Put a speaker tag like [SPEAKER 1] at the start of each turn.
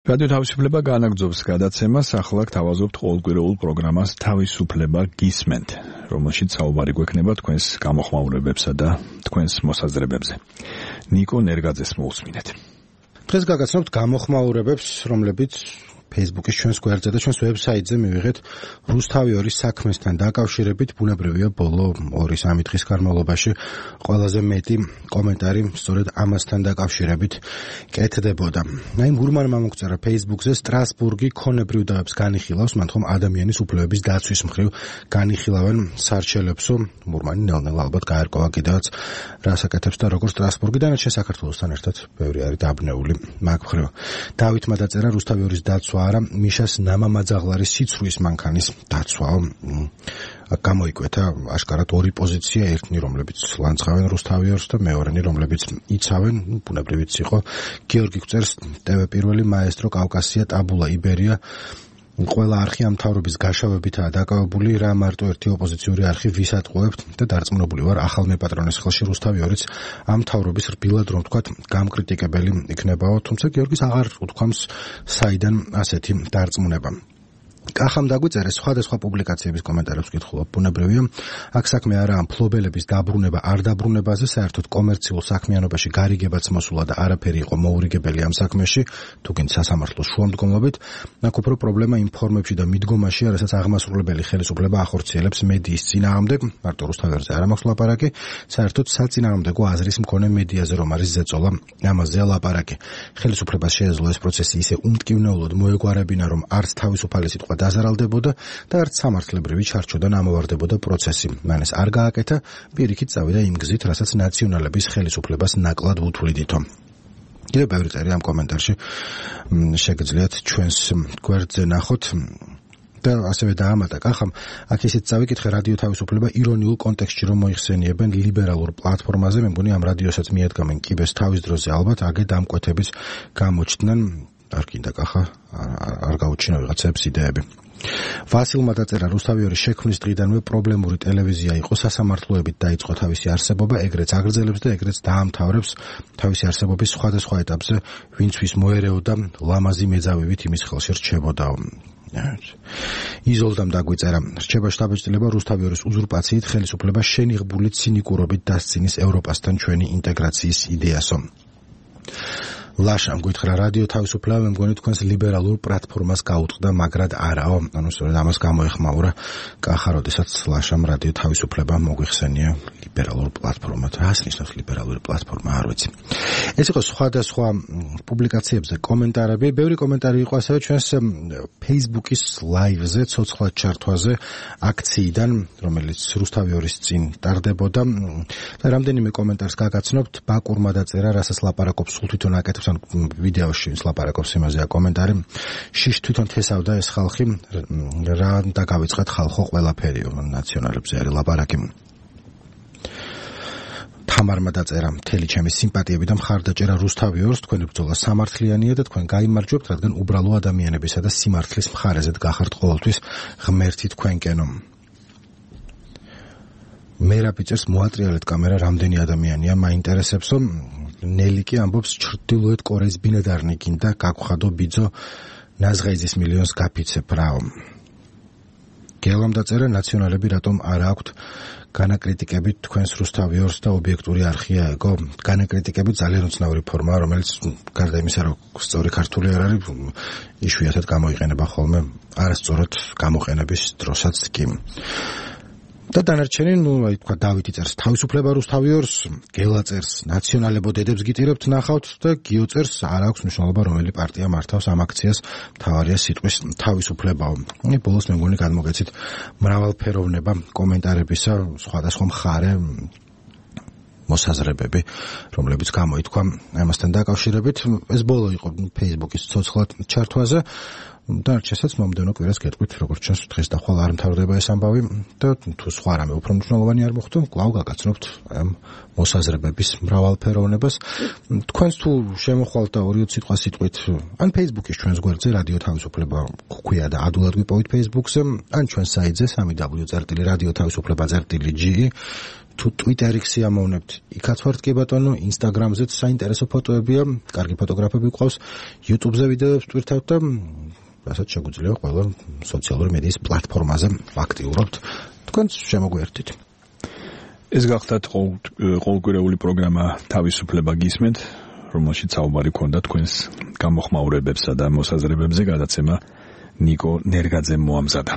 [SPEAKER 1] რადიო თავისუფლება განაგრძობს გადაცემას, ახლა გთავაზობთ ყოველკვირეულ პროგრამას თავისუფლება გისმენთ, რომელშიც საუბარი გვექნება თქვენს გამოხმაურებებსა და თქვენს მოსაზრებებზე. ნიკო ნერგაძეს მოусმინეთ.
[SPEAKER 2] დღეს გაგაცნობთ გამოხმაურებებს, რომლებიც Facebook-ის ჩვენს გვერდზე და ჩვენს ვებსაიტზე მივიღეთ რუსთავი 2 საქმესთან დაკავშირებით. ბუნებრივია, ბოლო 2-3 დღის განმავლობაში ყველაზე მეტი კომენტარი სწორედ ამასთან დაკავშირებით კეთდებოდა. მურმანმა მოგწერა Facebook-ზე, სტრასბურგი ქონებრივ დავებს განიხილავს, მათ ხომ ადამიანის უფლებების დაცვის მხრივ განიხილავენ სარჩელებსო. მურმანი ნელ-ნელა ალბათ გაერკვა კიდევაც რას აკეთებს და როგორ სტრასბურგი დანარჩენ საქართველოსთან ერთად ბევრი არის დაბნეული მაგ მხრივ. დავითმა დაწერა რუსთავი 2-ის დაცვა არა, მიშას ნამამაძაღლარის სიცრუის მანქანის დაცვაო. გამოიკვეთა აშკარად 2 პოზიცია, ერთნი რომლებიც ლანძღავენ რუსთავი 2-ს და მეორენი რომლებიც იცავენ, ბუნებრივიც იყო. გიორგი გვწერს, TV პირველი მაესტრო კავკასია ტაბულა იბერია ყველა არხი ამ მთავრობის გაშავებითაა დაკავებული, რა მარტო ერთი ოპოზიციური არხი ვისატყუებთ და დარწმუნებული ვარ ახალ მეპატრონის ხელში რუსთავი 2-იც ამ მთავრობის რბილად რომ ვთქვათ გამკრიტიკებელი იქნებაო, თუმცა გიორგის აღარ უთქვამს საიდან ასეთი დარწმუნება. კახამ დაგვიწერეს სხვადასხვა პუბლიკაციების კომენტარებს ვკითხულობ. ბუნებრივია, აქ საქმე არაა მფლობელების დაბრუნება არ დაბრუნებაზე, საერთოდ კომერციულ საქმიანობაში გარიგებაც მოსულა და არაფერი იყო მოურიგებელი ამ საქმეში, თუკინ სასამართლოს შუამდგომლობით. აქ უფრო პრობლემა იმ ფორმებში და მიდგომაშია, რასაც აღმასრულებელი ხელისუფლება ახორციელებს მედიის წინააღმდეგ, მარტო რუსთავერზე არ მაქვს ლაპარაკი, საერთოდ საწინააღმდეგო აზრის მქონე მედიაზე რომ არის ზეწოლა, ამაზეა ლაპარაკი. ხელისუფლებას შეეძლო ეს პროცესი ისე უმტკივნეულოდ მოეგვარებინა, რომ არც თავისუფალი სიტყვა დაზარალდებოდა და არც სამართლებრივი ჩარჩოდან ამოვარდებოდა პროცესი. მან ეს არ გააკეთა, პირიქით წავიდა იმ გზით, რასაც ნაციონალების ხელისუფლებას ნაკლად უთვლიდითო. კიდევ ბევრი წერი ამ კომენტარში შეგიძლიათ ჩვენს გვერდზე ნახოთ. და ასევე დაამატა კახამ, აქ ისიც წავიკითხე რადიო თავისუფლება ირონიულ კონტექსტში რომ მოიხსენიებენ ლიბერალურ პლატფორმაზე, მე მგონი ამ რადიოსაც მიადგამენ კიბეს თავის დროზე, ალბათ აგე დამკვეთების გამოჩნდნენ. არ კიდე კახა არ გაუჩინა ვიღაცებს იდეები. ვასილმა დაწერა, რუსთავი 2 შექმნის დღიდანვე პრობლემური ტელევიზია იყო, სასამართლოებით დაიწყო თავისი არსებობა, ეგრეც აგრძელებს და ეგრეც დაამთავრებს თავისი არსებობის სხვადასხვა ეტაპზე, ვინც ვის მოერეოდა ლამაზი მეძავივით იმის ხელში რჩებოდაო. იზოლდამ დაგვიწერა, რჩება შთაბეჭდილება რუსთავი 2-ის უზურპაციით, ხელისუფლება შენიღბული ცინიკურობით დასცინის ევროპასთან ჩვენი ინტეგრაციის იდეასო. ლაშამ გითხრა, რადიო თავისუფლება მე მგონი თქვენს ლიბერალურ პლატფორმას გაუწყდა, მაგრად არაო. ანუ სწორედ ამას გამოეხმაურა კახა, როდესაც ლაშამ რადიო თავისუფლება მოგვიხსენია ლიბერალურ პლატფორმად. რას ნიშნავს ლიბერალური პლატფორმა, არ ვიცი. ეს იყო სხვადასხვა პუბლიკაციებზე კომენტარები, ბევრი კომენტარი იყო ასევე ჩვენს Facebook-ის live-ზე, ცოცხლად ჩართვაზე აქციიდან, რომელიც რუსთავი 2-ის წინ ტარდებოდა და რამდენიმე კომენტარს გაგაცნობთ. ბაკურმა დაწერა, რასაც ლაპარაკობს სულ თვითონ აკეთებს ვიდეოში ლაპარაკობს იმაზეა კომენტარი. შიშ თვითონ თესავდა ეს ხალხი, რა დაგავიწყეთ ხალხო ყველაფერი, ნაციონალებზე არის ლაპარაკი. თამარმა დაწერა, მთელი ჩემი სიმპათიები და მხარდაჭერა რუსთავი 2-ს, თქვენი ბრძოლა სამართლიანია და თქვენ გაიმარჯვებთ, რადგან უბრალო ადამიანებისა და სიმართლის მხარეზე გახართ ყოველთვის ღმერთი თქვენკენო. მერაბიწერს მოატრიალეთ კამერა, რამდენი ადამიანია მაინტერესებსო. ნელი კი ამბობს, ჩრდილოეთ კორეის ბინადარნი გინდა გაგხვადო ბიძო ნაზღაიზის მილიონს გაფიცებ რაო. გელამ დაწერა, ნაციონალები რატომ არ აქვთ განაკრიტიკებით თქვენს რუსთავი 2-ს და ობიექტური არხია ეგო. განაკრიტიკებით ძალიან უცნაური ფორმაა, რომელიც გარდა იმისა, რომ სწორი ქართული არ არის, იშვიათად გამოიყენება ხოლმე არასწორად გამოყენების დროსაც კი. და დანარჩენი, აი თქვა დავითი წერს თავისუფლება რუსთავი 2-ს, გელა წერს ნაციონალებოდედებს გიტირებთ ნახავთ და გიო წერს არ აქვს მნიშვნელობა რომელი პარტია მართავს ამ აქციას, მთავარია სიტყვის თავისუფლებაო. ბოლოს მე მგონი გადმოგეცით მრავალფეროვნება კომენტარებისა, სხვადასხვა მხარე მოსაზრებები, რომლებიც გამოითქვა ამასთან დაკავშირებით. ეს ბოლო იყო Facebook-ის ცოცხლად ჩართვაზე. და არჩესაც მომდევნო კვირას გეტყვით, როგორც ჩანს დღეს და ხვალ არ მთავრდება ეს ამბავი და თუ სხვა რამე უფრო მნიშვნელოვანი არ მოხდა, კვლავ გაგაცნობთ ამ მოსაზრებების მრავალფეროვნებას. თქვენს თუ შემოხვალთ და 2 სიტყვა სიტყვით, ან Facebook-ის ჩვენს გვერდზე რადიო თავისუფლება გვქვია და ადულად გვიპოვით Facebook-ზე, ან ჩვენს საიტზე www.radioთავისუფლება.ge თუ Twitter-ი ამოვნებთ, იქაც ვართ კი ბატონო, Instagram-ზეც საინტერესო ფოტოებია, კარგი ფოტოგრაფები გვყავს, YouTube-ზე ვიდეოებს ტვირთავთ და რასაც შეგვიძლია ყველა სოციალური მედიის პლატფორმაზე აქტიურობთ. თქვენც შემოგვერთით.
[SPEAKER 1] ეს გახდათ ყოველკვირეული პროგრამა თავისუფლება გისმენთ, რომელშიც საუბარი ქონდა თქვენს გამოხმაურებებსა და მოსაზრებებზე, გადაცემა ნიკო ნერგაძემ მოამზადა.